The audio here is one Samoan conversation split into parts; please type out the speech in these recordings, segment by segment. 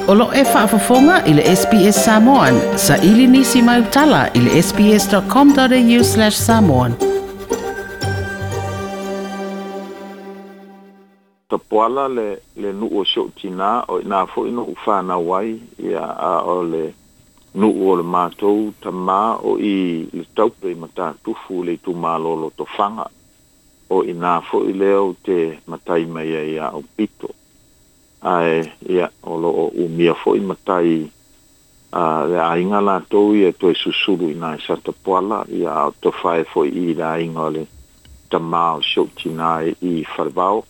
O lo e faafofoga i le SBS Samoan. Saili nisi mai utala i le sbs.com.au/samoan. Tapuala le nuu o si ou tinā, o iinā foi na ou fanau ai, ia, a o le nuu o le matou tamā o i le Taupe i Matatufu le itumalo o Lotofaga. O iinā foi lea ou te matai mai ai ia Aupito. Ae, ia, o lo o umia foi matai a le aiga latou ia e toe susulu iinā i Satapuala, ia, a o tofae foi i le aiga o le tamā o si ou tinā i Falevao.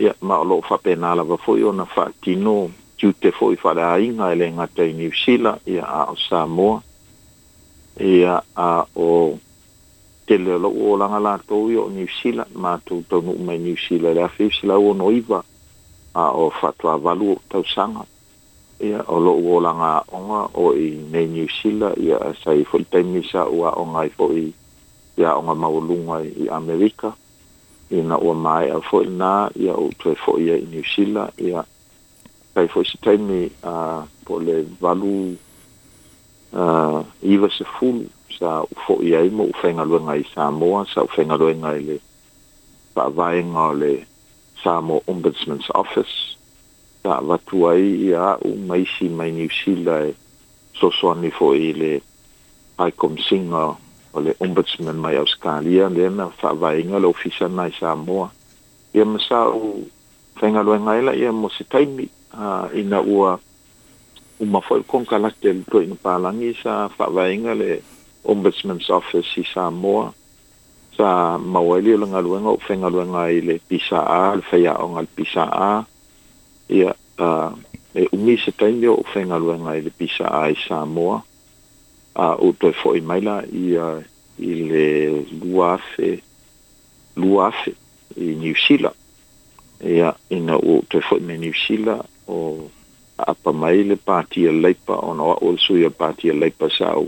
Ia, ma o lo o faapena lava foi ona faatino tiute foi faaleaiga e le gata i Niu Sila, ia, a o Samoa. Ia, a o tele o lou olaga latou ia o Niu Sila, matou taunuu mai Niu Sila i le 1969, a o faatoa 8 ou tausaga. Ia, o lou olaga aoga o i nei Niu Sila, ia, sa i ai foi le taimi sa ou aoga ai foi i aoga maualuga i Amerika. Ina ua maea foi lena, ia, ou toe foi ai i Niu Sila, ia, sai foi se taimi po o le 8 90 sa ou foi ai ma ou faigaluega i Samoa, sa ou faigaluega i le faavaega o le Samoa Ombudsman's Office, sa avatu ai ia au ma isi mai Niu Sila e fesoasoani foi i le High Commissioner o le Ombudsman mai Ausetalia, lea na faavaeina le ofisa lena i Samoa. Ia ma sa ou faigaluega ai laia mo se taimi, ina ua uma foi le konekarate a le toeaina palagi sa faavaeina le Ombudsman's Office i Samoa, sa maua ai lea o le galuega ou faigaluega ai i le PSA, le faiaoga a le PSA. Ia, e umi se taimi o ou faigaluega ai i le PSA i Samoa, a ou toe foi mai la ia i le 2000, 2000 i Niu Sila. Ia, ina ua ou toe foi mai Niu Sila, o aapa mai le Pati a le Leipa, ona o au o le sui o le Pati a le Leipa sa ou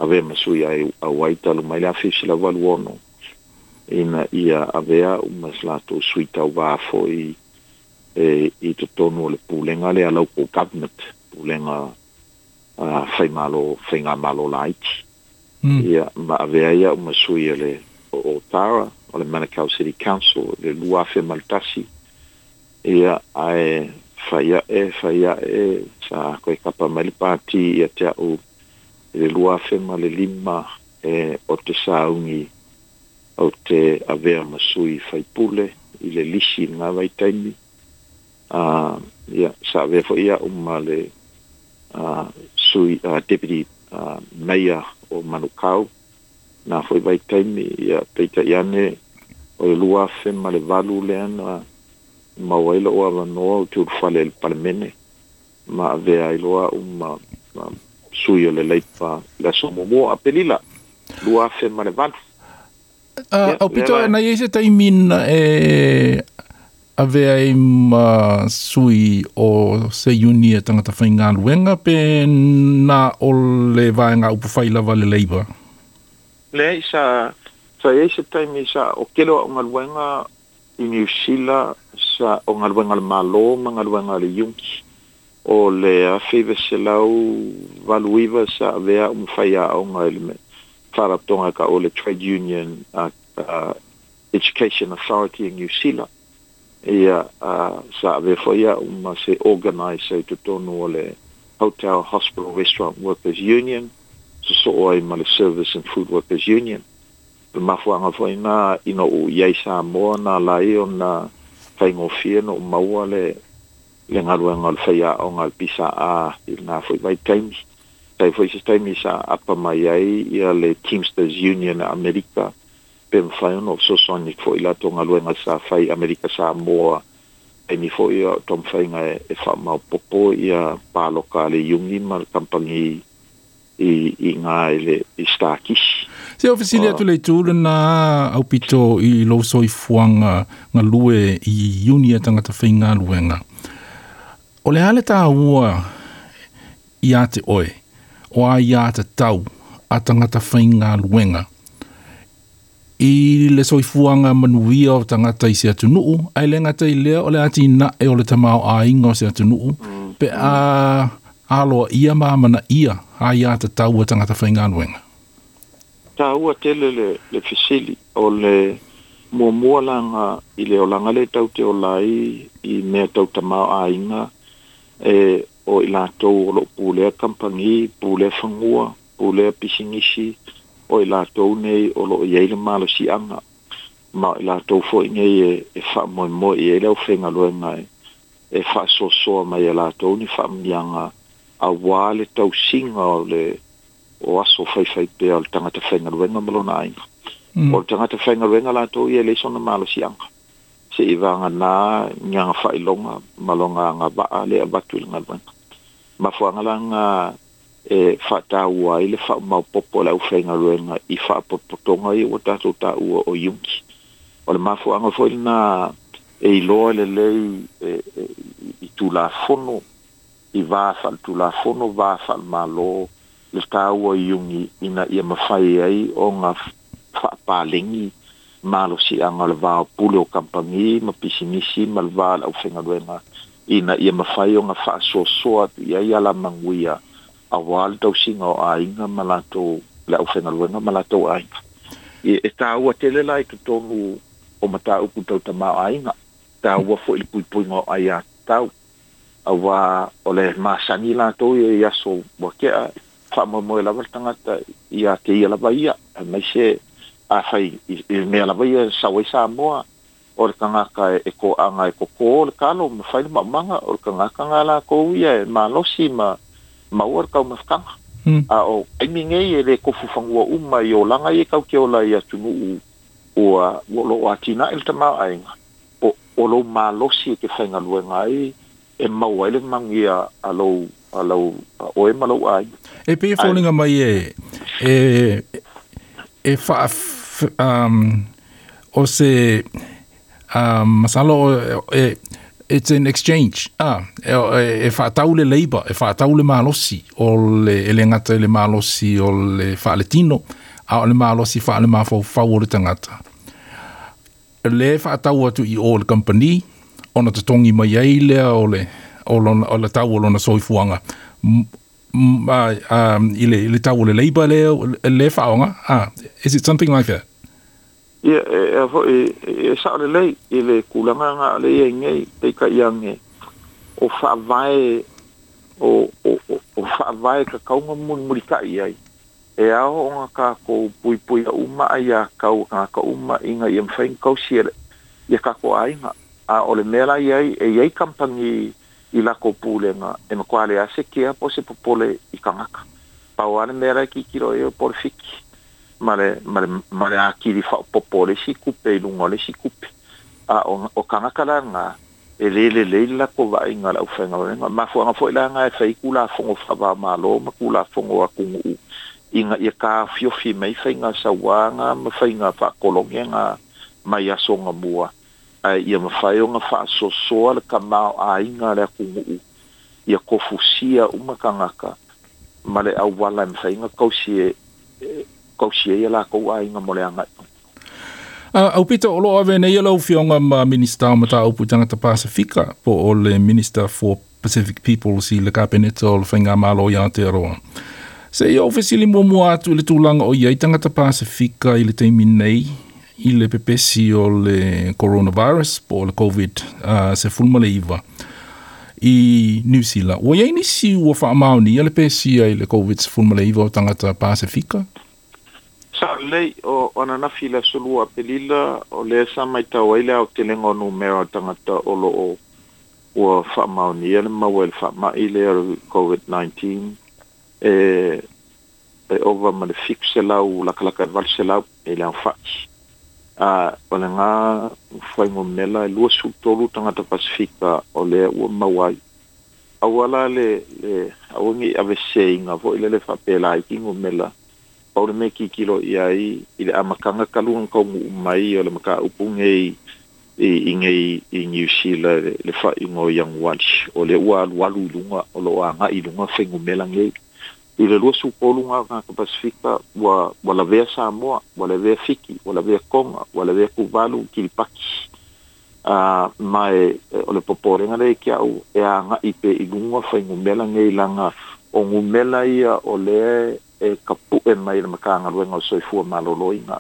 avea ma sui auai talu mai le 1986, ina ia avea au ma se latou sui tauvā foi e i totonu o le pulega lea local government, pulega faimalo, faigamalo laiti. Ia, ma avea ai au ma sui o le o Otara, o le Manukau City Council i le 2001. Ia, ae fai ae, fai ae, sa toe kapa mai le pati ia te au i le 2005 e o te sauni ou te avea ma sui faipule i le lisi i lena vaitaimi. Ia, sa avea foi au ma le sui deputy mayor o Manukau na foi vaitaimi. Ia, peitai ane o le 2008 lea na maua ai lou avanoa ou te ulufale i le Palemene ma avea ai loa au ma sui o le Leipa i le aso 1 o Aperila 2008. Aupito, na i ai se taimi na e avea ai ma sui o se iuni e tagata faigaluega pe na o le vaega upufai lava le Labour? Leai, sa i ai se taimi sa o tele o au galuega i Niu Sila, sa o galuega a le Malo ma galuega a le iuni. O le 1989 sa avea au ma faiaoga i le faalapotopotoga e taua o le Trade Union Education Authority i Niu Sila. Ia, sa avea foi au ma se organiser i totonu o le Hotel Hospital Restaurant Workers Union, sosoo ai ma le Service and Food Workers Union. O le mafuaaga foi lena ina ua ou i ai i Samoa na ala ai ona faigofie ona ou maua le galuega o le faiaoga a le PSA i lena foi vaitaimi. Sai foi se taimi sa aapa mai ai ia le Teamsters Union a Amerika pe mafai ona ou fesoasoani foi i latou galuega sa fai i Amerika Samoa, taimi foi o taumafaiga e faamaopoopo ia paloka a le iuni ma le kamupani i ina i le i Stakisi. Se o fesili atu le itu lena Aupito i lou soifuaga galue i iuni a tagata faigaluega. O le a le taua ia te oe o aiātatau a tagata faigaluega i le soifuaga manuia o tagata i se atunuu, ae le gata i lea o le atinae o le tamaoaiga o se atunuu? Pe a aloaia ma amanaia aiā tatau a tagata faigaluega. Taua tele le fesili o le muamua laga i le olaga lea tatou te ola ai i mea tau tamaoaiga e o i latou o loo pulea kamupani, pulea fanua, pulea pisinisi, o i latou nei o loo i ai le malosiaga ma o i latou foi nei e faamoemoe i ai le aufaigaluega e faasoasoa mai e latou ni faamanuiaga auā le tausiga o le o aso faifaipea o le tagata faigaluega ma lona aiga. O le tagata faigaluega latou ia e leai sona malosiaga se'i vagana ni aga faailoga ma lona agavaa lea e avatu i le galuega. Mafuaaga laga e faataua ai le faamaopoopo o le aufaigaluega i faapotopotoga ia ua tatou taua o iuni. O le mafuaaga foi lena e iloa lelei i Tulafono, i va faaletulafono, va faalemalo, le taua o iuni ina ia mafai ai ona faapalegi malosiaga o le va o pule o kamupani ma pisinisi ma le va o le aufaigaluega ina ia mafai ona faasoasoa atu i ai alamanuia auā le tausiga o aiga ma latou le aufaigaluega ma latou aiga. E taua tele la i totonu o mataupu tau tamaoaiga, taua foi le puipuiga o aiatatau, auā o le masani latou ia i aso ua tea, faamoemoe lava le tagata ia te ia lava ia, aemaise afai i mea lava ia e sau ai Samoa, o le tagata e toaga e totō le talo ma fai le maumaga, o le tagata na latou ia e malosi ma maua le taumafataga. A o taimi nei e le tofu fanua uma i olaga ia tatou te ola i atunuu ua loo atinae le tamaoaiga, o lou malosi e te faigaluega ai e maua ai le manuia a lou oe ma lou aiga. E pei e foliga mai e faa o se masalo e it's an exchange. E faatau le labour, e faatau le malosi o le e le gata i le malosi o le faaletino, a o le malosi faalemafaufau o le tagata. Le faatau atu i o le company ona totogi mai ai lea o le o le tau o lona soifuaga i le tau o le labour lea le faaaoga. Is it something like that? Ia, e foi e sao lelei i le tulaga na le iai nei, peitai ane o faavae o faavae tatau ona mulimulitai ai e ao ona tatou puipuia uma aiatatau a tagata uma ina ia mafai ona tausi ia tatou aiga. A o le mea la iai e iai kamupani i latou pulega e matua leai se kea po o se popole i tagata. Pau lava le mea la e tilotilo i ai po o le fiki ma le atili faaopoopo o le isi tupe i luga o le isi tupe. A o tagata la lena e le lelei le latou vaaiga o le aufaigaluega. Mafuaaga foi la lena e fai Tulafono faava-o-Malo ma Tulafono atunuu ina ia taofiofi mai faiga sauaga ma faiga faatologe mai aso gamua, ae ia mafai ona faasoasoa le tamaoaiga a le atunuu ia tofusia uma tagata ma le auala e mafai ona tausi ai a latou aiga mo le agai. Aupito, o loo ave nei lau Afioga ma Minista o Mataupu i Tagata Pasifika po o le Minister for Pacific Peoples i le Kapeneta o le Faigamalo i Aotearoa. Se i ou fesili muamua atu i le tulaga o i ai tagata Pasifika i le taimi nei i le pepesi o le coronavirus po o le COVID-19 i New Zealand. Ua i ai nisi ua faamaonia le pesia i le COVID-19 o tagata Pasifika? Sao lelei, o ananafi i le aso 2 Apelila, o lea sa matau ai le aotelega o numera o tagata o loo ua faamaonia le maua i le faamai lea o le COVID-19 e ova ma le 700 lakalaka e 800 i le aofai. O lena fuainumera e 23 tagata Pasifika o lea ua maua ai. Aua la le aua nei aveseseina foi lele faapea laiti numera, pau le mea tilotilo i ai i le amataga talu ona taunuu mai o le mataupu nei i nei i New Zealand le faaiuga o Ianuari, o lea ua alualu i luga, o loo agai i luga fuainumera nei. I le 23 o tagata Pasifika ua lavea Samoa, ua lavea Fiti, ua lavea Tonga, ua lavea Tuvalu, Kiribati. Ma e o le popolega lea ia te a'u e aga'i pea i luga fuainumera nei laga o numera ia o lea e tapu'e mai e le Matagaluega o le Soifua Maloloina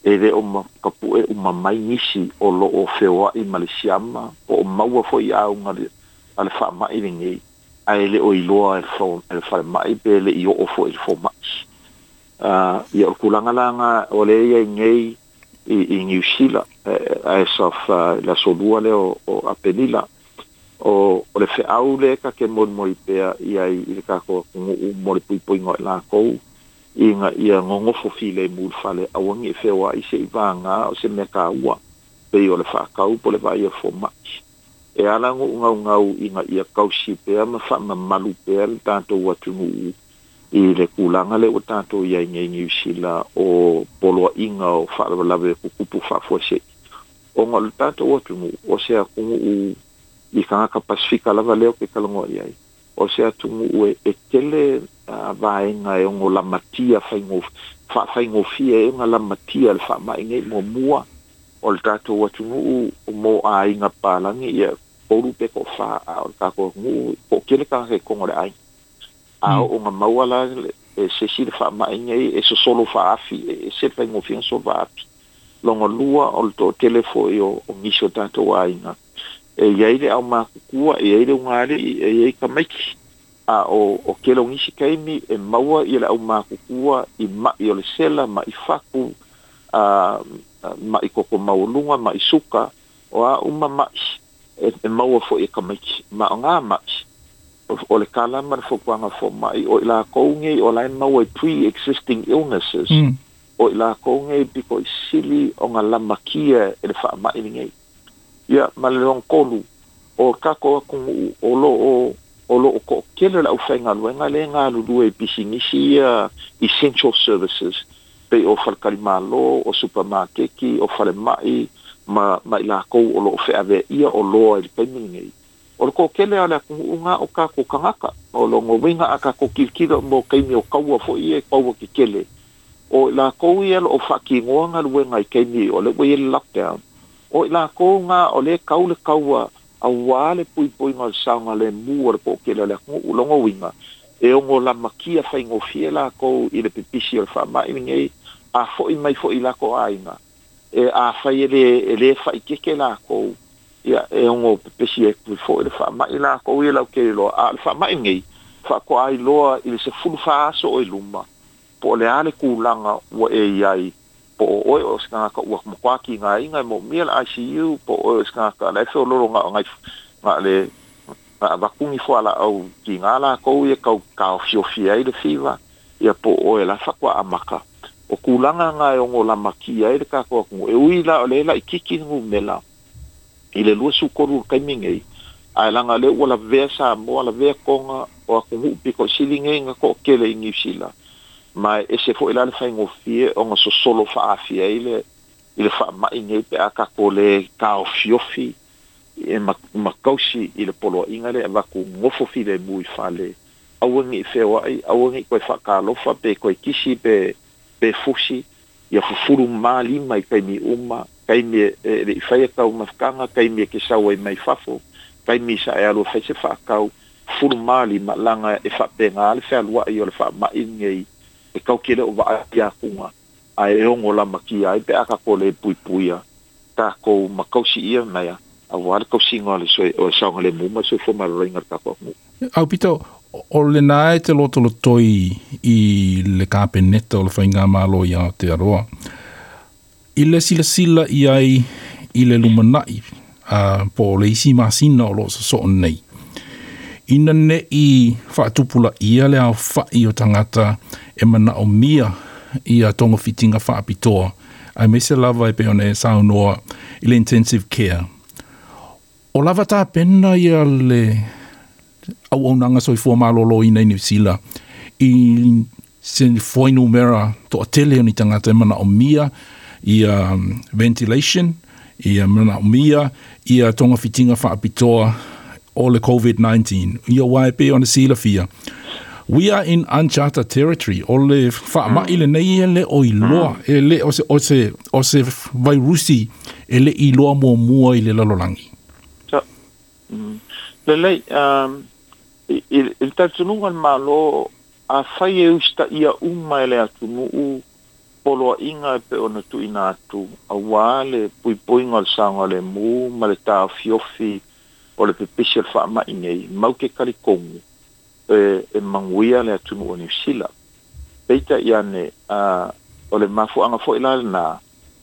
e lē o tapu'e uma mai nisi o lo'o feoa'i ma le siama po o maua foi i auga a le fa'ama'i lenei ae le o iloa e le falema'i pe le i oo foi i le foma'i. Ia o le tulaga la lena o lea e i ai nei i Niu Sila as of le aso Lua lea o Aperila. O le feau lea ta te molimoli pea i ai i le tatou atunuu mo le puipuiga o i latou ina ia nonofo filemu i le fale aua ne i feoai se'i vagā o se mea taua pei o le faatau po o le vaai a le fomai. E ala ona ou naunau ina ia tausi pea ma faamamalu pea le tatou atunuu i le tulaga lea ua tatou i ai nei i Niu Sila o poloaiga o faalavelave tutupu faafuasei. Ona o le tatou atunuu, o se atunuu i tagata Pasefika lava lea ou te talanoa i ai, o se atunuu e tele vaega e ono lamatia faafaigofie ai ona lamatia e le faamai nei. Muamua, o le tatou atunuu mo aiga papalagi, ia tolu pe toafa, a o le tatou atunuu toatele tagata i totonu o le aiga. A oo ina maua la e se isi le faamai nei, e sosolo faaafi, e ese le faigofie ona sosolo faaafi. Lona lua, o le toatele foi o nisi o tatou aiga, e i ai le aumatutua, e i ai le ugaalii, e i ai tamaiti. A o tele o nisi taimi e maua le aumatutua i ma'i o le sela, ma'i fatu, ma'i toto maualuga, ma'i suka, o a uma ma'i e maua foi e tamaiti. Ma o na ma'i, o le tala ma le fautuaga a fomai, o i latou nei o la e maua i pre-existing illnesses, o i latou nei pito i sili ona lamatia e le faamai lenei. Ia, ma le lona tolu, o tatou atunuu o lo o o lo o toatele le aufaigaluega lea e galulue i pisinisi ia essential services, pei o faletalimalo, o supamakeki, o falemai, ma ma i latou o lo o feaveaia oloa i le taimi lenei. O le toatele lava o le atunuu na o tatou tagata. O lona uiga a tatou tilotilo mo taimi o taua foi ia taua tetele, o i latou ia o lo o faatinoa galuega i taimi o lea ua i ai le lockdown, o i latou na o lea e tau le taua auā le puipuiga o le saogalemu o le toatele o le atunuu. O lona uiga, e ono lamatia faigofie latou i le pipisi o le faamai lenei, a foi mai foi i latou aiga, e afai e lē e lē faaeteete latou, ia e ono pepesi atu foi le faamai latou ia lautele loa. A o le faamai lenei, faatoa iloa i le 14 aso o i luma po o le a le tulaga ua e i ai, po o oe o se tagata ua matua tigaina e moomia le ICU, po o oe o se tagata la e feoloolo na o nai na o le na avatu ni fualaau tiga latou ia tau taofiofi ai le fiva, ia po o oe la faatoa amata. O tulaga na e ono lamatia ai le tatou atunuu, e ui la o lea e laitiiti le numera i le 23 i le taimi nei, ae laga o lea ua lavea Samoa, lavea Toga, o atunuu pito i sili nei ona toatele i Niu Sila, ma e ese foi la le faigofie ona sosolo faaafia ai le i le faamai nei pe a tatou le taofiofi e ma tausi i le poloaiga lea e avatu nofo filemu i fale, aua ne i feoai, aua ne i toe faatalofa pe toe kisi pe pe fusi, ia fufulu mā lima i taimi uma, taimi e le i faia taumafataga, taimi e te sau ai mai fafo, taimi sa e alu e fai se faatau, fufulu mā lima, laga e faapena le fealuai o le faamai lenei e tatou te le o vaai atuga, ae e ono lamatia ai pe a tatou le puipuia tatou ma tausi ia mea auā le tausiga o le saogalemu ma le soifua maloloina o le tatou atunuu. Aupito, o lena e te lotolotoi i le Kapeneta o le Faigamalo i Aotearoa i le silasila i ai i le lumanai po o le isi masina o lo o sosoo nei, ina ne i faatupulaia le aofa'i o tagata e manaomia ia togafitiga faapitoa, aemaise lava e pei ona e saunoa i le intensive care. O lava tapena ia le auaunaga soifua maloloina i Niu Sila i se fuainumera toatele o ni tagata e manaomia ia ventilation, ia manaomia ia togafitiga faapitoa o le COVID-19? Ia aua e pei ona silafia, We are in uncharted territory. O le faamaʻi lenei e le o iloa, e le o se, o se, o se vairusi e le iloa muamua i le lalolagi. Lelei, i le talitonuga o le Malo, afai e usitaia uma e le atunuu poloaiga e pei ona tuuina atu auā le puipuiga o le saogalemu ma le taofiofi o le pepesi o le faamaʻi nei, mau te talitonu e manuia le atunuu o Niu Sila. Peitai ane, o le mafuaaga foi la lenā,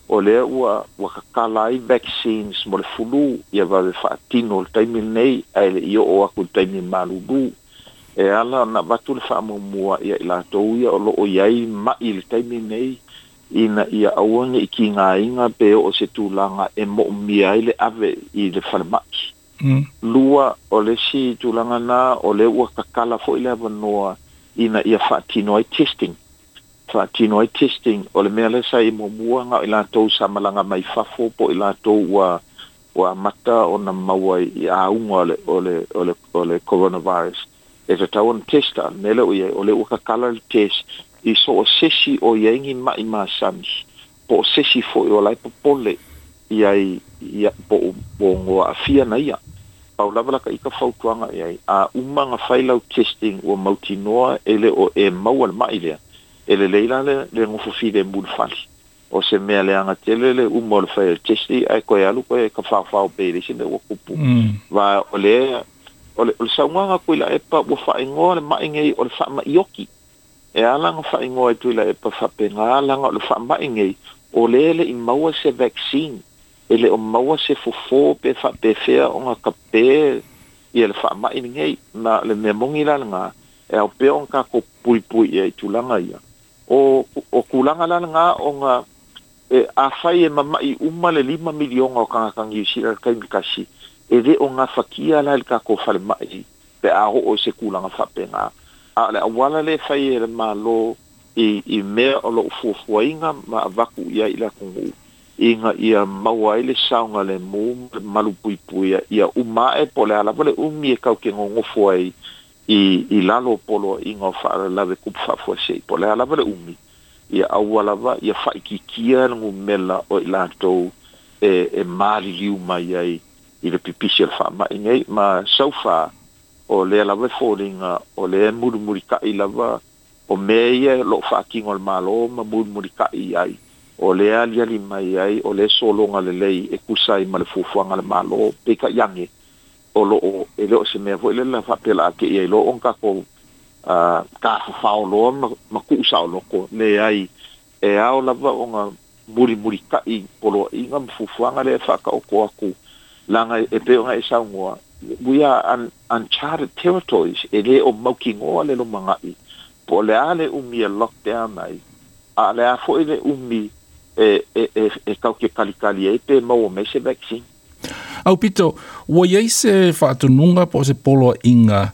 o lea ua ua tatala ai vaccines mo le fulu ia vave faatino i le taimi lenei ae le i oo atu i le taimi malulu. E ala ona avatu le faamuamua ia i latou ia o lo o i ai maʻi i le taimi lenei ina ia aua ne i tigaina pe oo i se tulaga e moomia ai le ave i le falemai. Lua, o le isi tulaga lena, o lea ua tatala foi le avanoa ina ia faatino ai testing. Faatino ai testing, o le mea lea sa i ai muamua, na o i latou sa malaga mai fafo po o i latou ua ua amata ona maua i auga o le o le o le o le coronavirus e tatau ona test. A o le mea lea ua i ai, o lea ua tatala le test i so o se isi o i ai ni maʻi masani po o se isi foi o la e popole i ai ia po o ua aafia na ia. Pau lava la ta ita fautuaga i ai, a uma ona fai lau testing ua mautinoa e le o e maua le maʻi lea, e lelei la le le nofo filemu i le fale. O se mea leaga tele le uma o le fai o le test ae toe alu toe tafaofao pei e leai se mea ua tupu. Va o le o le o le saunoaga a Tuilaepa ua faaigoa le maʻi nei o le faamaʻi oti. E ala ona faaigoa e Tuilaepa faapena leaga o le faamaʻi nei o lea e le i maua se vaccine, e le o maua se fofo pe faapefea ona tape ia le faamaʻi lenei. Ma o le mea moni la lenā, e ao pea ona tatou puipui i ai i tulaga ia. O o tulaga la lenā ona e afai e mamaʻi uma le 5 miliona o tagata Niu Sila i le taimi tasi, e le o gafatia la e le tatou falemai pe a oo i se tulaga faapena. A o le auala lea e fai e le Malo i i mea o lo o fuafuaina ma avatu i ai i le atunuu ina ia maua ai le saogalemu ma le malupuipuia ia uma ae po o le a lava le umi e tatou te nonofo ai i i lalo o poloaiga o faalavelave tupu faafuasei, po o le a lava le umi, ia aua lava ia faaitiitia le numera o i latou e e maliliu mai ai i le pipisi o le faamaʻi nei. Ma so far, o lea lava e foliga o lea e mulimulitaʻi lava o mea ia o lo o faatino e le Malo ma mulimulitaʻi i ai, o lea e aliali mai ai o lea e sologa lelei e tusa ai ma le fuafuaga a le Malo. Peitai ane, o lo o e le o se mea foi lele faapea o le a te'i ai loa ona tatou tafafao loa ma tuu saoloto. Leai, e ao lava ona mulimulitaʻi poloaiga ma fuafuaga lea e faataoto atu, leaga e pei ona e saunoa, we are uncharted territories, e le o mautinoa le lumanai po o le a le umi e lockdown ai, a o le a foi le umi e e e e tatou te talitali ai pe maua mai se vaccine. Aupito, ua i ai se faatonuga po o se poloaiga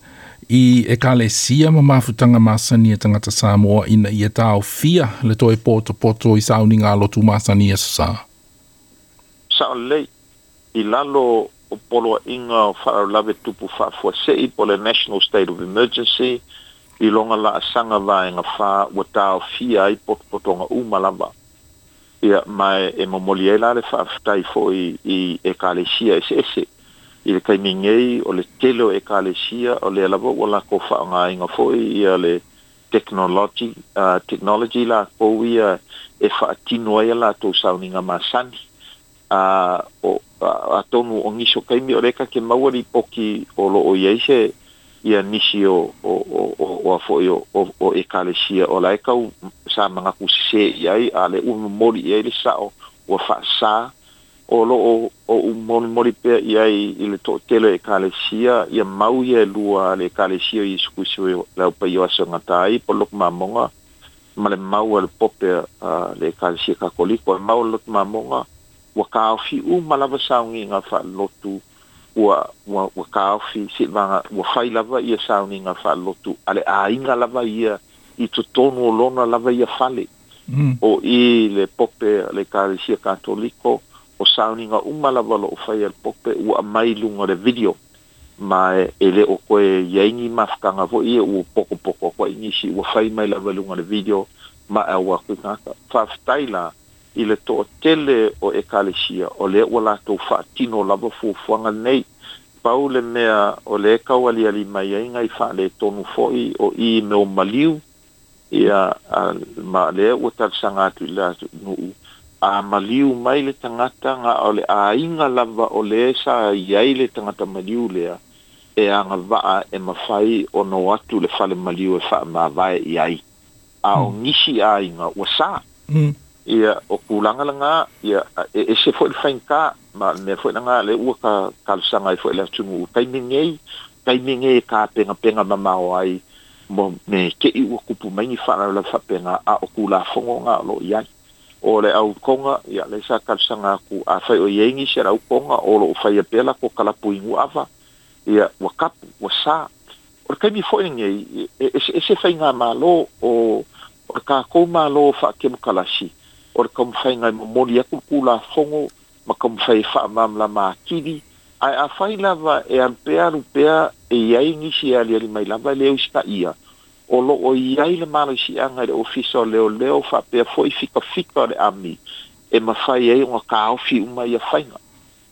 i Ekalesia ma mafutaga masani a tagata Samoa ina ia taofia le toe potopoto i sauniga lotu masani i aso Sa? Sao lelei, i lalo o poloaiga o faalavelave tupu faafuasei po o le National State of Emergency, i lona laasaga vaega 4 ua taofia ai potopotoga uma lava. Ia, ma e momoli ai la le faafetai foi i Ekalesia eseese. I le taimi nei, o le tele o Ekalesia o lea lava ua latou faaaogaina foi ia le technology, technology latou ia e faatino ai a latou sauniga masani. A o, atonu o nisi o taimi o lea ta te maua lipoti o lo o i ai se ia nisi o o o o a foi o o Ekalesia o la e tau sa manatu sesē i ai, a o lea ua momoli i ai le sao ua faasā. O lo o ou molimoli pea i ai i le toatele o Ekalesia ia mau ia e lua a le Ekalesia o Iesu Keriso le Au Paia o Aso e Gata ai po o le Lotu Mamoga ma le mau a le Pope a le Ekalesia Katoliko. O le mau a le Lotu Mamoga ua taofi uma lava sauniga faalelotu ua ua ua taofi seivaga ua fai lava ia sauniga faalelotu a le aiga lava ia i totonu o lona lava ia fale. O i le Pope a le Ekalesia Katoliko, o sauniga uma lava o lo o faia e le Pope ua aumai i luga o le video. Ma e le o koe i ai ni mafutaga foi ia ua pokopoko atu ai nisi ua fai mai lava i luga o le video ma e au atu i tagata. Faafetai la i le toatele o Ekalesia o lea ua latou faatino lava fuafuaga lenei. Pau le mea o lea e tau aliali mai ai nai faaletonu foi o i i mea o maliu, ia, ma o lea ua talosaga atu i le atunuu, a maliu mai le tagata na o le aiga lava o lea sa i ai le tagata maliu lea e agavaa e mafai ona o atu i le fale maliu e faamavae i ai. A o nisi aiga ua sa. Ia, o tulaga lena, ia, e ese foi le faigata, ma o le mea foi lena lea ua talosaga ai foi i le atunuu i le taimi lenei, taimi lenei e tapenapena mamao ai mo me te i ua tupu mai ni faalavelave faapena, a o Tulafono na o lo o i ai. O le au Toga, ia, lea sa talosaga atu, afai o i ai nisi o le au Toga o lo o faia pea latou kalapu inu ava, ia, ua tapu, ua sa. O le taimi foi lenei, e eseese faigamalo, o le tatou Malo faakemokalasi, o le taumafaiga e momoli atu le Tulafono ma taumafai e faamalamalama atili, ae afai lava e alu pea alu pea e i ai nisi e aliali mai lava e le usitaia, o lo o i ai le malosiaga i le Ofisa o Leoleo faapea foi fikafika o le ami e mafai ai ona taofi uma ia faiga.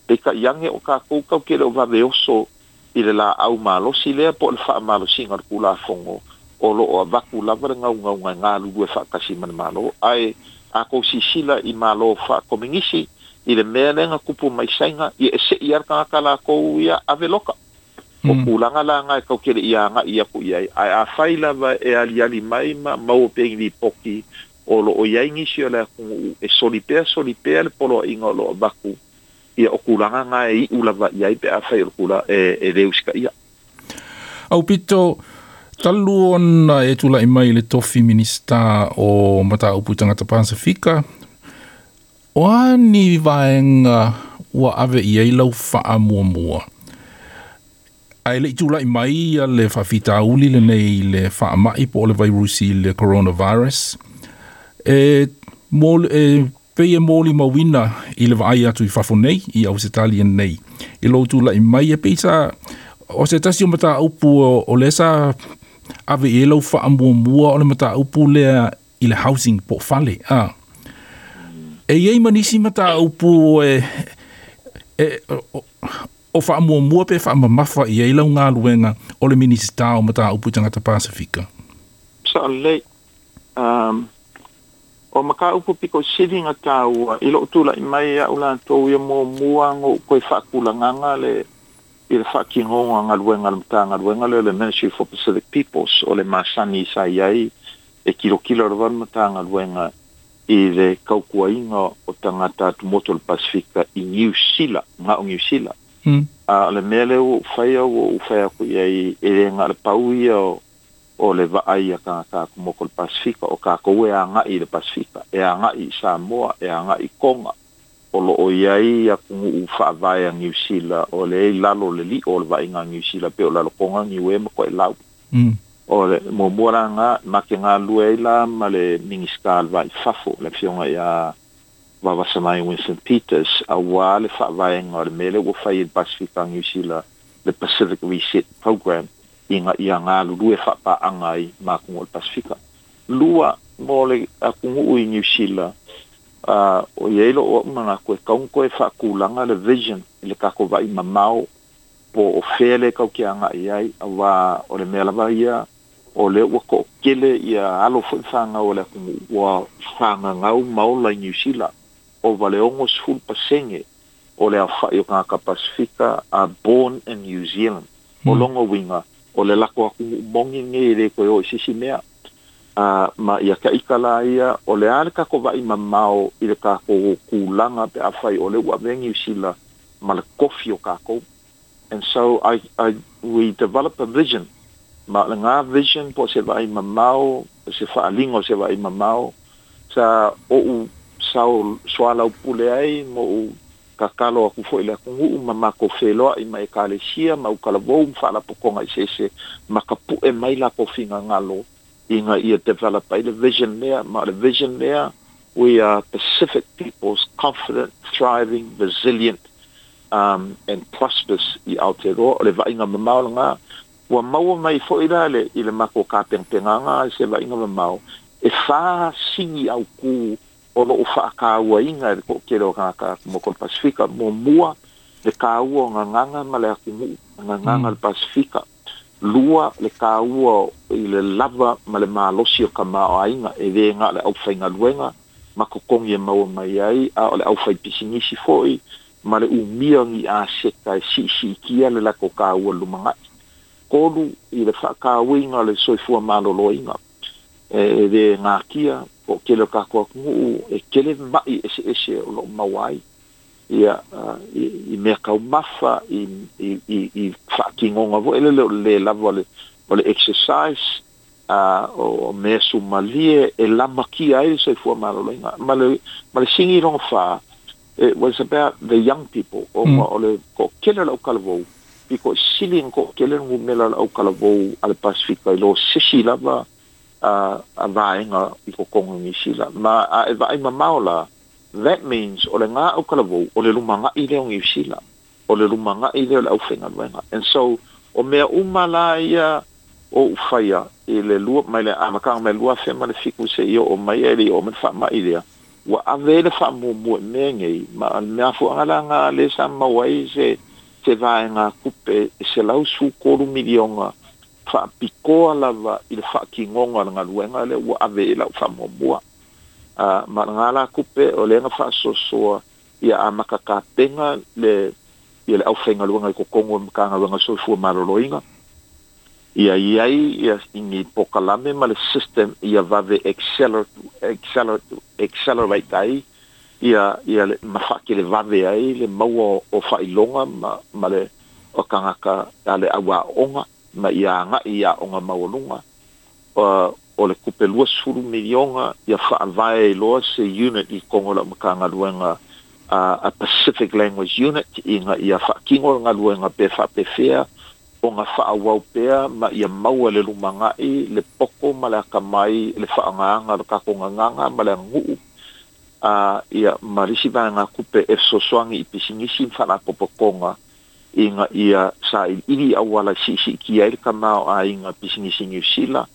Peitai ane o tatou tatou te le o vave oso i le laau malosi lea po o le faamalosiga o le Tulafono, o lo o avatu lava le naunauga e galulue faatasi ma le Malo. Ae a tou sisila i Malo faakominisi, i le mea lea na tupu mai Saina, ia e sei lava le tagata latou ia ave loka. O tulaga la na e tatou te le i agai atu i ai, ae afai lava e aliali mai ma maua pea i ni lipoti o lo o i ai nisi o le atunuu e soli pea soli pea le poloaiga o lo o avatu, ia o tulaga na e iu lava i ai pe afai o le tulaga e le usitaia. Aupito, talu ona e tulai mai i le tofi Minisita o Mataupu i Tagata Pasefika, o a ni vaega ua ave i ai lau faamuamua? Ae le i tulai mai ia le faafitauli lenei i le faamai po o le vairusi i le coronavirus, e, mo, e pei e molimauina i le vaai atu i fafo nei, i Ausetalia nei, i lou tulai mai, e pei sa, o se tasi o mataupu o lea sa ave i ai lau faamuamua o le mataupu lea i le housing po o fale. A. E i ai ma nisi mataupu e, e, o, o faamuamua pe faamamafa i ai lau galuega o le Minisita o Mataupu i Tagata Pasefika? Sao lelei. Um, o mataupu pito sili ona taua i lou tulai mai a'u latou ia muamua ona ou toe faatulagaga le i le faatinoga o galuega a le Matagaluega lea o le Ministry for Pacific Peoples, o le masani sa i ai e tilotilo lava le Matagaluega i le tautuaina o tagata atumotu o le Pasefika i Niu Sila, na o Niu Sila. A o le mea lea ua ou faia, ua ou fai atu i ai, e le na o le pau ia o le vaai a tagata atumotu o le Pasefika, o tatou e agai i le Pasefika, e agai i Samoa, e agai i Toga, o lo o i ai atunuu faavae a Niu Sila o lea i lalo o le lio o le vaaiga a Niu Sila pei o Lalotoga, Niue ma Toelau. O le muamua la lena, ma te galulue ai la ma le Minisita o le Va i Fafo, le Afioga ia Vaavasamai Winston Peters, aua le faavaega o le mea lea ua fai e le Pasefika a Niu Sila, le Pacific Reset Programme, ina ia galulue faapaaga ai ma atunuu o le Pasefika. Lua, mo le atunuu i Niu Sila, a, o i ai lou au manatu e tatau ona toe faatulaga le vision i le tatou vaai mamao po o fea lea tatou te agai i ai, aua o le mea lava ia o lea ua toatele ia alo foi ma fanau a le atunuu ua fagagau ma ola i Niu Sila. Ova le 60% o le aofai o tagata Pasefika are born in New Zealand. O lona uiga, o le latou atunuu moni lenei e le toe o i se isi mea. A, ma ia taita la ia, o le a le tatou vaai mamao i le tatou tulaga pe afai o lea ua avea Niu Sila ma le tofi o tatou. And so I, I, we develop a vision. Ma o lena vision po o se vaai mamao, o se faaaliga o se vaai mamao, sa ou sao soalaupule ai ma ou tatalo atu foi i le atunuu ma matou feloai ma Ekalesia ma autalavou ma faalapotopotoga eseese ma tapue mai latou finagalo ina ia develop ai le vision lea. Ma o le vision lea, we are Pacific peoples, confident, thriving, resilient. and prosperous i Aotearoa. O le vaaiga mamao lena ua maua mai fo'i la le i le matou tapenapenaga se vaaiga mamao e 4 sigi autū o loo faatauaina e le toatele o tagata motu o le Pasifika. Muamua, le taua o gagaga ma le atunuu gagaga le Pasifika. Lua, le taua i le lava ma le malosi o tamaoaiga, e lē na o le aufaigaluega ma totogi e maua mai ai, a o le aufaipisinisi fo'i ma le umia o ni aseta e siisiitia le latou taua lumana'i. Tolu, i le faatauina o le soifua maloloina, e lē gatia po o tele o tatou atunuu e tele ma'i eseese o loo maua ai ia i mea taumafa i faatinoga foi lele o le lē lava o le exercise, o mea sumalie e lamatia ai le soifua maloloina. Ma le sigi lona 4, it was about the young people, ona o le toatele o le autalavou pito sili na toatele le numera o le autalavou a le Pasifika i lo sesi lava a vaega i totonu i Nisila. Ma a e vaai mamao la, that means o le gā autalavou o le lumaga'i lea o Niu Sila, o le lumaga'i lea o le aufaigaluega. And so o mea uma la ia o ufaia i le lua mai le amataga mai 2007 seia oo mai e le oo mai le faama'i lea ua ave le faamuamua i mea nei. Ma le mea fuaga laga le sa mau ai se vaega tupe e $113 miliona faapitoa lava i le faatinoga o le galuega lea ua ave i lau faamuamua. Ma lena la tupe o lea na faasoasoa ia amata tapena le ia le aufaigaluega i totonu o le Matagaluega Soifua Maloloina, ia iai ia ni pokalame ma le system ia vave accelerate ai ia le ma faatelevave ai le maua o faailoga ma le o tagata a le auaoga ma ia agai i aoga maualuga. O le tupe $20 miliona ia faavae ai loa se unit i totonu o lau Matagaluega, a Pacific Language Unit, ina ia faatino le galuega pe faapefea ona faaauau pea ma ia maua le lumaga'i le poto ma le atamai le faaaogaga o le tatou gagaga ma le aganuu. Ia ma le isi vaega tupe e fesoasoani i pisinisi ma faalapotopotoga ina ia sailiili auala e siisiitia ai le tamaoaiga pisinisi Niu Sila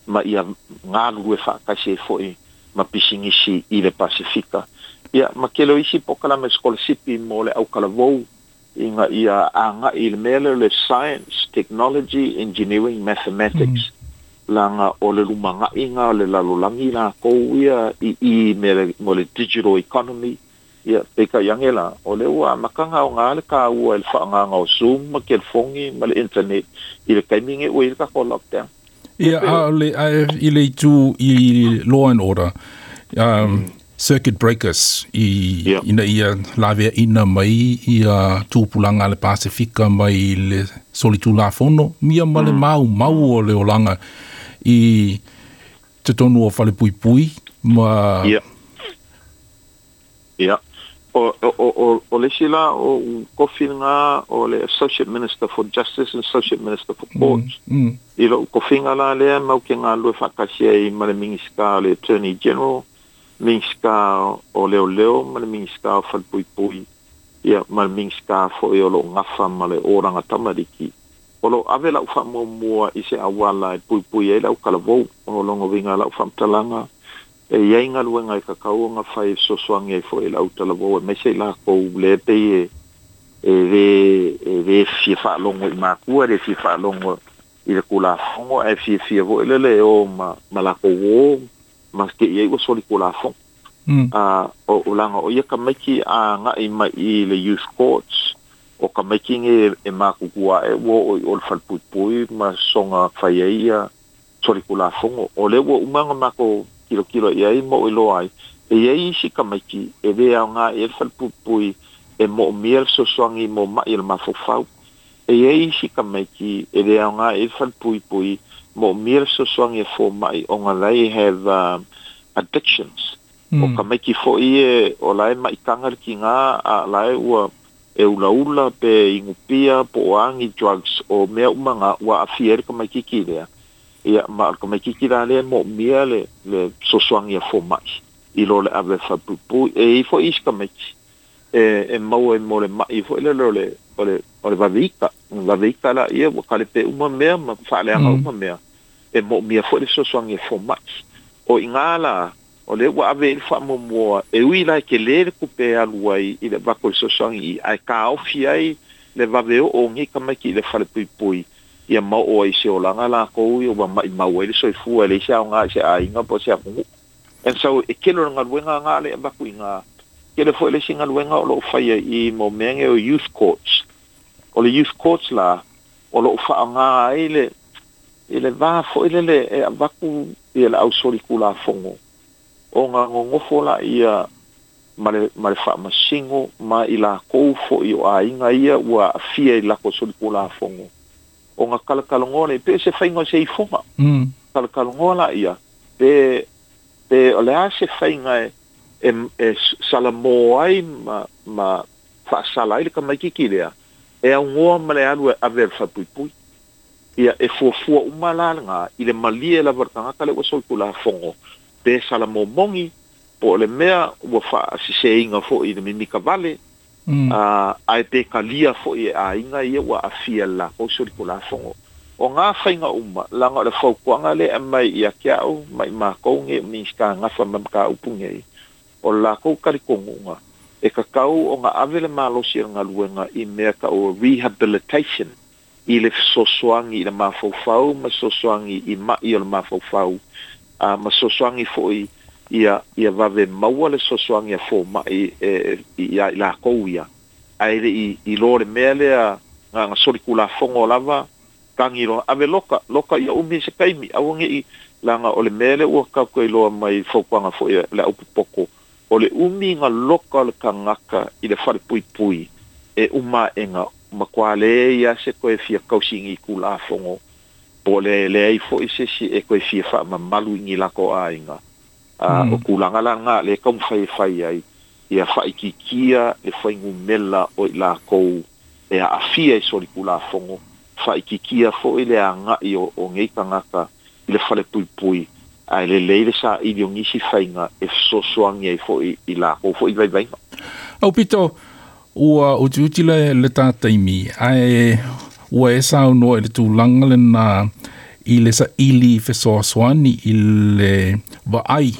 ma ia galulue faatasi ai fo'i ma pisinisi i le Pasifika. Ia ma tele o isi pokalame sikolasipi mo le autalavou ina ia aga'i i le mea lea o le science, technology, engineering, mathematics, laga o le lumaga'iga o le lalolagi lakou ia i mea mo le digital economy. Ia peitai age la o lea ua amataga aogā le taua i le faaaogaga o Zoom ma telefoni ma le internet i le taimi nei ua i le tatou lockdown. Ia, a o le i le itu i law and order, circuit breakers i ina ia laveaina mai ia tupulaga a le Pasifika mai le solitulafono ia ma le maumau o le olaga i totonu o falepuipui ma Ia. O le isi la o tofi lena o le Associate Minister for Justice and Associate Minister for Courts. I lou tofiga la lea mau te galulue faatasi ai ma le Minisita o le Attorney General, Minisita o Leoleo ma le Minisita o Falepuipui, ia ma le Minisita foi o loo gafa ma le olaga tamaliki. O loo ave lau faamuamua i se auala e puipui ai le autalavou. O lona uiga lau faamatalaga, e iai galuega e tatau ona fai e fesoasoani ai fo'i i le autalavou e maise i lakou le pei e lē fia faalogo i matua, e lē fia faalogo i le tulafono, ae fiafia foi lele e o ma latou ō ma te'i ai ua soli tulafono. O laga o ia tamaiti a agai mai i le youth courts, o tamaiti nei e matutua ae ua oo i o le falepuipui ma soga fai ai ia soli tulafono. O lea ua uma ona matou tilotilo i ai ma ou iloa ai e iai isi tamaiti e lē aoga i ai le falepuipui, e moomia le fesoasoani mo ma'i o le mafaufau. E iai isi tamaiti e lē aoga i ai le falepuipui, moomia le fesoasoani e foma'i ona they have addictions. O tamaiti fo'i e o la e maitaga le tigā a la e ua e ulaula pe inupia po o agi drugs o mea uma ga ua aafia ai le tamaititi lea. Ia ma o le tamaititi la lea e moomia le fesoasoani a foma'i i lo le ave falepuipui. E i ai fo'i isi tamaiti e maua ai mo le ma'i foi lele o le vaveika. Vaveika laia ua kalepe uma mea ma faaleaga uma mea, e mo'omia foi le fesoasoani e foma'i. O igā la o lea ua ave ai le faamuamua, e ui la e telē le tupe e alu ai i le avatu o le fesoasoani i, ae taofi ai le vave oo o nei tamaiti i le falepuipui, ia ma oo ai i se olaga latou ia ua maʻimau ai le soifua, e leai se aogā i se aiga po o se atunuu. And so e tele o le galuega gā le avatu i gā. Tele foi le isi galuega o loo faia i mo mea nei o youth courts. O le youth courts la, o loo faaaogā ai le i le va foi lele e avatu ia le ausolitulafono ona nonofo laia ma le faamasino ma i latou foi o aiga ia ua aafia i latou solitulafono, ona talatalanoa lea pe se faiga o se ifoga. Talatalanoa laia pe o le a se faiga e salamō ai ma faasala ai le tamaititi lea e augoa ma le alu e ave e le falepuipui. Ia e fuafua uma la lagā i le malie lava o le tagata le ua solitulafono, pe salamō moni po o le mea ua faasiseina foi i le mimita vale, ae pe talia foi e aiga ia ua aafia i le latou solitulafono. O gā faiga uma laga o le fautuaga lea e aumai ia te a'u ma i matou nei o Minisita gafa ma mataupu nei, o le latou talitonuga e tatau ona ave le malosi o le galuega i mea ta'u rehabilitation, i le fesoasoani i le mafaufau ma fesoasoani i ma'i o le mafaufau, ma fesoasoani foi ia vave maua le fesoasoani a foma'i e ia i latou ia, ae le i lo le mea lea na solitulafono lava tagi loa ave loka loka ia umi se taimi aua ne'i, laga o le mea lea ua tatou iloa mai fautuaga foi le aupopoto, o le umi ga loka o le tagata i le falepuipui e uma aʻega matua leai a se toe fia tausi i ni tulafono, po o le leai foi se isi e toe fia faamamalu i ni latou aiga. O tulaga la lagā lea e taumafai e fai ai ia faaitiitia le fuainumela o i latou e aafia i solitulafono, faaitiitia foi le aga'i o nei tagata i le falepuipui, ae lelei le saili o nisi faiga e fesoasoani ai foi i latou foi vaivaiga. Aupito, ua utiuti le ta taimi, ae ua e saunoa i le tulaga lena i le saili fesoasoani i le vaai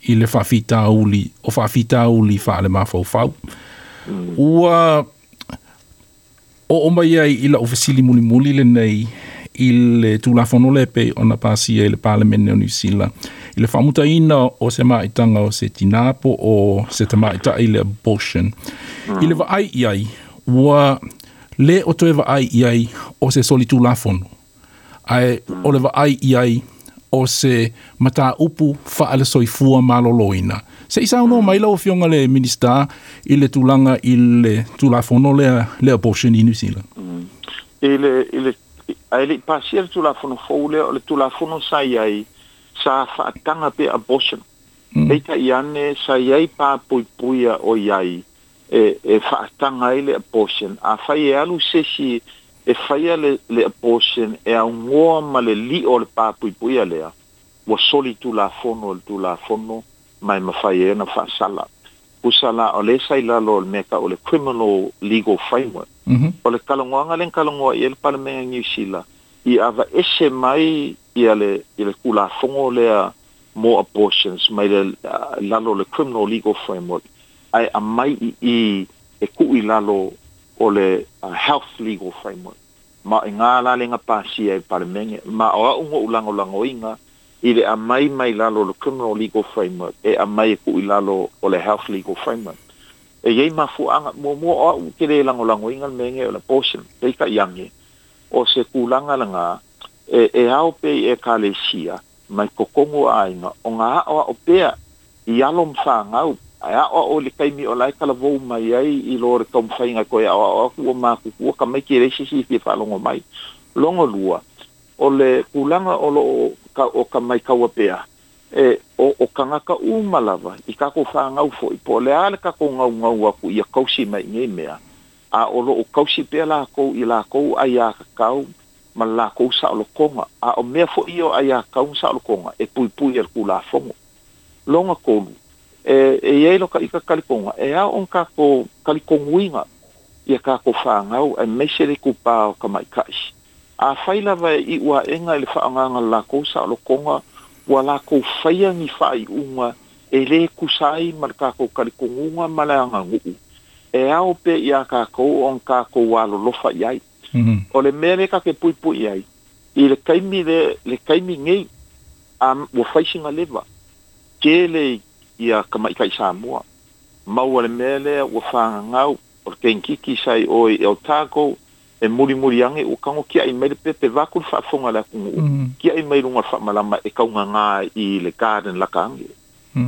i le faafitauli o faafitauli faale-mafaufau. Ua oo mai ai i lau fesili mulimuli lenei i le Tulafono le pei ona pasia i le Palemene o Niu Sila i le faamutaina o se maitaga o se tinā po o se tamaita'i, le abortion. I le vaai i ai, ua lē o toe vaai i ai o se solitulafono, ae o le vaai i ai o se mataupu faale-soifua maloloina. Se i saunoa mai lau Afioga le Minisita i le tulaga i le Tulafono lea, le abortion i Niu Sila. I le ae le'i pasia le Tulafono fou lea, o le Tulafono sa i ai sa faataga pea abortion. Peitai ane sa i ai papuipuia o i ai e faataga ai le abortion. Afai e alu sesi e faia le abortion e augoa ma le li'o o le papuipuia lea, ua soli tulafono o le Tulafono ma e mafai ai ona faasala. Pusa la o lea sa i lalo o le mea ta'u o le criminal legal framework. O le talanoaga lea na talanoa i ai le Palemene Niu Sila i avaese mai ia le i le Tulafono lea mo abortions mai le lalo o le criminal legal framework, ae aumai i e tuu i lalo o le health legal framework. Ma i gā la lega pasia i Palemene, ma o a'u go'u lagolagoina i le aumai mai lalo o le criminal legal framework e aumai e tuu i lalo o le health legal framework. E iai mafuaaga. Muamua, o a'u te lē lagolagoina le mea nei o le abortion, peitai ane o se tulaga lagā e ao pea i ekalesia mai totonu o aiga ona a'oa'o pea i alo ma fanau, ae a'oa'o i le taimi o lae talavou mai ai i lo le taumafaiga e toe a'oa'o atu ua matutua tamaiti e leai se isi fia faalogo mai. Logo lua, o le tulaga o loo o ka maitaua pea e o tagata uma lava i tatou fanau foi, po o le a le tatou gaugau atu ia tausi mai i nei mea, a o loo tausi pea lakou i lakou aiā tatau ma le lakou saolotoga, a o mea foi ia o aiā tatau ma saolotoga e puipui e le Tulafono. Loga tolu, E e iai lo ka ika kalikoga e ao ona tatou talitonuina ia tatou fanau aemaise le itupā o tamaita'i. Afai lava e i'u a'ega i le fa'aaogaina o le latou sa'olotoga ua latou faia ni fa'ai'uga e lē tusa ai ma le tatou talitonuga ma le aganu'u e ao pea iā tatou ona tatou alolofa i ai. O le mea lea ta te puipui ai i le taimi le le taimi nei a ua fai sina leva tele ia tamaita'i Samoa maua le mea lea ua fagagau o le kenekiki sa i o i Otago e mulimuli ane ua tago tia'i mai le pepe vaeatu le faafofoga a le atunuu tia'i mai luga o le faamalama e taugagā i le garden lata ane.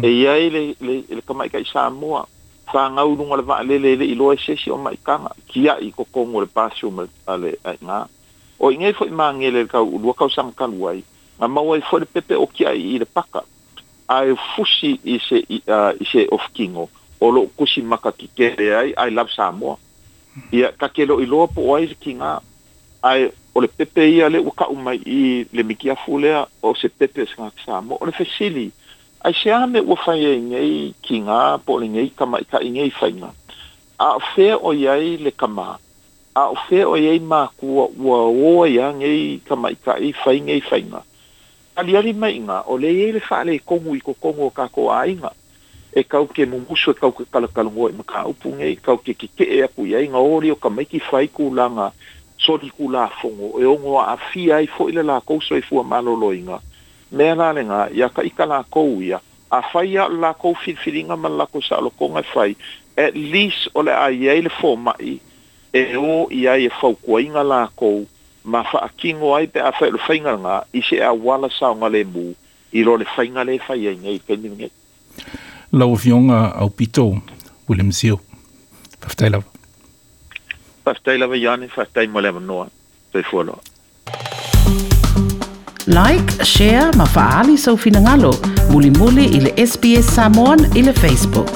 E i ai le le le tamaita'i Samoa fagau i luga o le vaalele e le i iloa e se isi o maitaga tia'i i totonu o le bathroom a le aiga. O i nei foi magele i le tau lua tausaga talu ai na maua ai foi le pepe o tia'i i le paka ae fusi i se i se ofutino o loo tusi maka tetele ai I love Samoa. Ia ta te le o iloa po o ai le tiga ae o le pepe ia lea ua tau mai i le mitiafu lea o se pepe o se tagata Samoa. O le fesili, aisea mea ua fai ai nei tiga po o lenei tamaitai nei faiga? A o fea o i ai le tama? A o fea o i ai matua ua o ai lava nei tamaitai fai nei faiga? Aliali mai i ina, o lea e i ai le faaletonu i totonu o tatou aiga. E tatou te mumusu, e tatou te talatalanoa i mataupu nei, tatou te tetee atu i ai, ona o lea o tamaiti fai tulaga solitulafono e ono aafia ai foi le latou soifua maloloina. Mea la lena, ia taita latou ia, afai lava o le latou filifiliga ma le latou saolotoga e fai, at least o le a i ai le fomai e o i ai e fautuaina latou ma faatino ai pe afai o le faiga lena i se auala saogalemu i lo le faiga lea e fai ai nei i le taimi lenei. Lau Afioga Aupito William Sio, faafetai lava. Faafetai lava Ioane, faafetai mo le avanoa. Soifua loa. Like, share ma faaali sou finagalo mulimuli i le SBS Samoan i le Facebook.